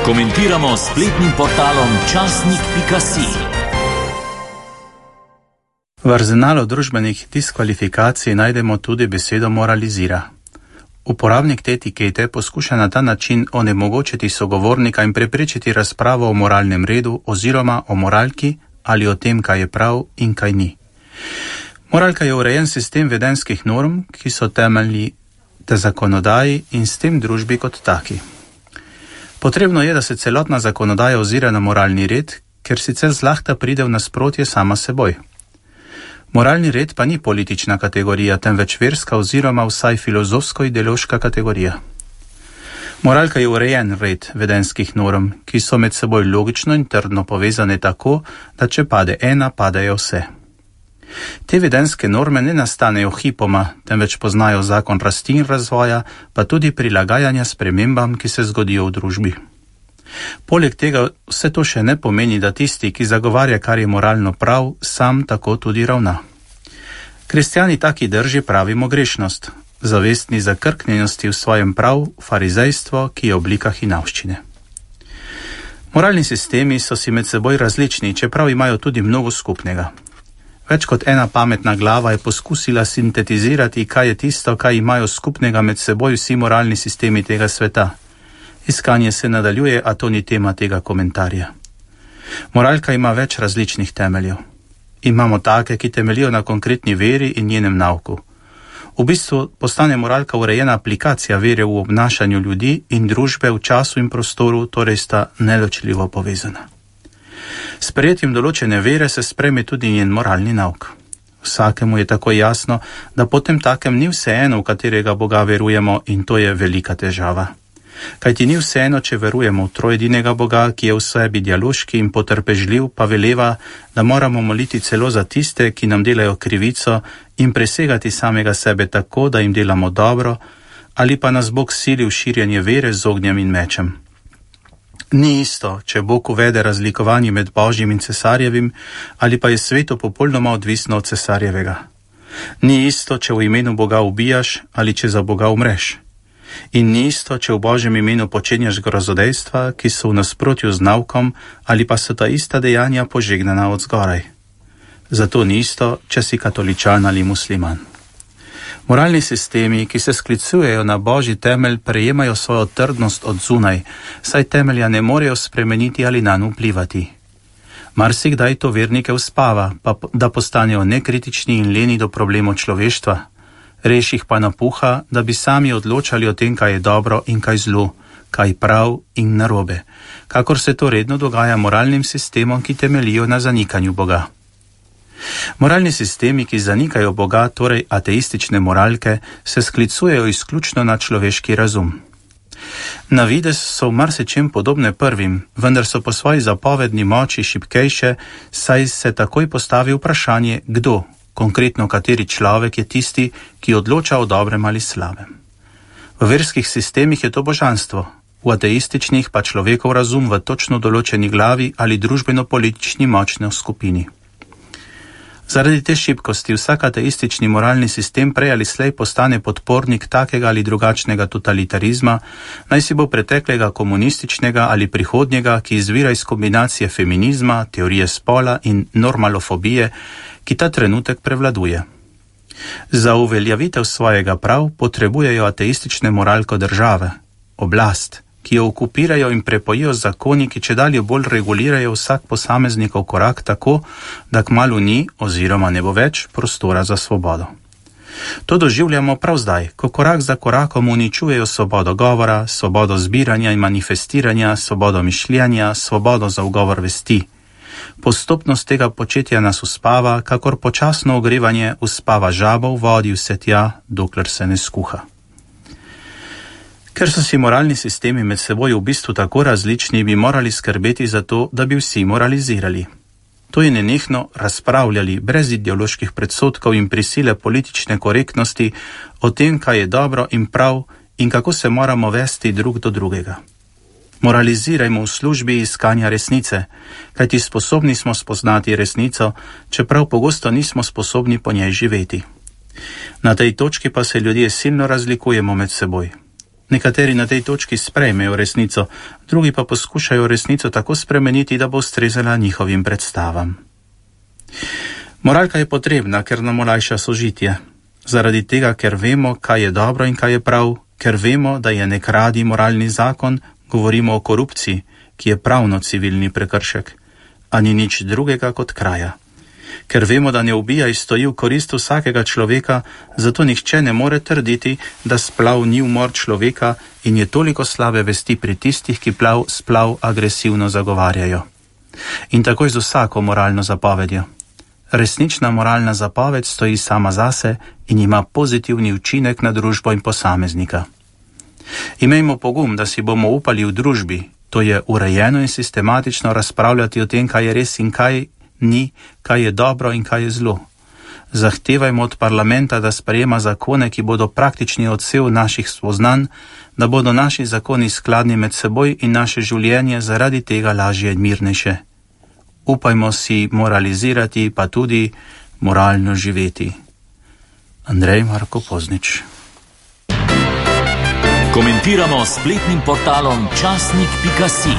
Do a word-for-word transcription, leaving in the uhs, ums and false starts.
Komentiramo s spletnim portalom časnik pika si. V arzenalu družbenih diskvalifikacij najdemo tudi besedo moralizira. Uporabnik te etikete poskuša na ta način onemogočiti sogovornika in preprečiti razpravo o moralnem redu oziroma o moralki ali o tem, kaj je prav in kaj ni. Moralka je urejen sistem vedenskih norm, ki so temeljni te zakonodaji in s tem družbi kot taki. Potrebno je, da se celotna zakonodaja ozira na moralni red, ker sicer zlahka pride v nasprotje sama seboj. Moralni red pa ni politična kategorija, temveč verska oziroma vsaj filozofsko-ideološka kategorija. Moralka je urejen red vedenskih norm, ki so med seboj logično in trdno povezane tako, da če pade ena, padejo vse. Te vedenske norme ne nastanejo hipoma, temveč poznajo zakon rasti in razvoja, pa tudi prilagajanja spremembam, ki se zgodijo v družbi. Poleg tega vse to še ne pomeni, da tisti, ki zagovarja, kar je moralno prav, sam tako tudi ravna. Kristjani taki drži pravimo grešnost, zavestni zakrknjenosti v svojem prav, farizejstvo, ki je oblika hinavščine. Moralni sistemi so si med seboj različni, čeprav imajo tudi mnogo skupnega. Več kot ena pametna glava je poskusila sintetizirati, kaj je tisto, kaj imajo skupnega med seboj vsi moralni sistemi tega sveta. Iskanje se nadaljuje, a to ni tema tega komentarja. Moralka ima več različnih temeljev. Imamo take, ki temeljijo na konkretni veri in njenem nauku. V bistvu postane moralka urejena aplikacija vere v obnašanju ljudi in družbe v času in prostoru, torej sta neločljivo povezana. S sprejetjem določene vere se sprejme tudi njen moralni nauk. Vsakemu je tako jasno, da potem takem ni vseeno, v katerega Boga verujemo, in to je velika težava. Kajti ni vseeno, če verujemo v trojedinega Boga, ki je v sebi dialoški in potrpežljiv, pa veleva, da moramo moliti celo za tiste, ki nam delajo krivico, in presegati samega sebe tako, da jim delamo dobro, ali pa nas Bog sili v širjenje vere z ognjem in mečem. Ni isto, če Bog uvede razlikovanje med Božjim in cesarjevim, ali pa je sveto popolnoma odvisno od cesarjevega. Ni isto, če v imenu Boga ubijaš ali če za Boga umreš. In ni isto, če v Božjem imenu počenjaš grozodejstva, ki so v nasprotju z naukom, ali pa so ta ista dejanja požegnana od zgoraj. Zato ni isto, če si katoličan ali musliman. Moralni sistemi, ki se sklicujejo na Božji temelj, prejemajo svojo trdnost od zunaj, saj temelja ne morejo spremeniti ali nanj vplivati. Marsikdaj to vernike uspava, pa da postanejo nekritični in leni do problemov človeštva. Reš jih pa napuha, da bi sami odločali o tem, kaj je dobro in kaj zlo, kaj prav in narobe, kakor se to redno dogaja moralnim sistemom, ki temeljijo na zanikanju Boga. Moralni sistemi, ki zanikajo Boga, torej ateistične moralke, se sklicujejo izključno na človeški razum. Na videz so v marsičem podobne prvim, vendar so po svoji zapovedni moči šibkejše, saj se takoj postavi vprašanje, kdo, konkretno kateri človek je tisti, ki odloča o dobrem ali slabem. V verskih sistemih je to božanstvo, v ateističnih pa človekov razum v točno določeni glavi ali družbeno-politični močni skupini. Zaradi te šibkosti vsak ateistični moralni sistem prej ali slej postane podpornik takega ali drugačnega totalitarizma, naj si bo preteklega komunističnega ali prihodnjega, ki izvira iz kombinacije feminizma, teorije spola in normalofobije, ki ta trenutek prevladuje. Za uveljavitev svojega prav potrebujejo ateistične moralko države, oblast, ki jo okupirajo in prepojijo zakoni, ki čedalje bolj regulirajo vsak posameznikov korak tako, da kmalu ni oziroma ne bo več prostora za svobodo. To doživljamo prav zdaj, ko korak za korakom uničujejo svobodo govora, svobodo zbiranja in manifestiranja, svobodo mišljenja, svobodo za ugovor vesti. Postopnost tega početja nas uspava, kakor počasno ogrevanje uspava žabo v vodi vse tja, dokler se ne skuha. Ker so si moralni sistemi med seboj v bistvu tako različni, bi morali skrbeti za to, da bi vsi moralizirali. To je nenehno razpravljali, brez ideoloških predsodkov in prisile politične korektnosti, o tem, kaj je dobro in prav in kako se moramo vesti drug do drugega. Moralizirajmo v službi iskanja resnice, kajti sposobni smo spoznati resnico, čeprav pogosto nismo sposobni po njej živeti. Na tej točki pa se ljudje silno razlikujemo med seboj. Nekateri na tej točki sprejmejo resnico, drugi pa poskušajo resnico tako spremeniti, da bo ustrezala njihovim predstavam. Moralka je potrebna, ker nam olajša sožitje. Zaradi tega, ker vemo, kaj je dobro in kaj je prav, ker vemo, da je ne kradi moralni zakon, govorimo o korupciji, ki je pravno civilni prekršek, a ni nič drugega kot kraja. Ker vemo, da ne ubijaj stoji v korist vsakega človeka, zato nihče ne more trditi, da splav ni umor človeka in je toliko slabe vesti pri tistih, ki plav splav agresivno zagovarjajo. In tako je z vsako moralno zapovedjo. Resnična moralna zapoved stoji sama zase in ima pozitivni učinek na družbo in posameznika. Imejmo pogum, da si bomo upali v družbi, to je urejeno in sistematično razpravljati o tem, kaj je res in kaj ni, kaj je dobro in kaj je zlo. Zahtevajmo od parlamenta, da sprejema zakone, ki bodo praktični odsev naših spoznanj, da bodo naši zakoni skladni med seboj in naše življenje zaradi tega lažje in mirnejše. Upajmo si moralizirati, pa tudi moralno živeti. Andrej Marko Poznič. Komentiramo s spletnim portalom časnik pika si.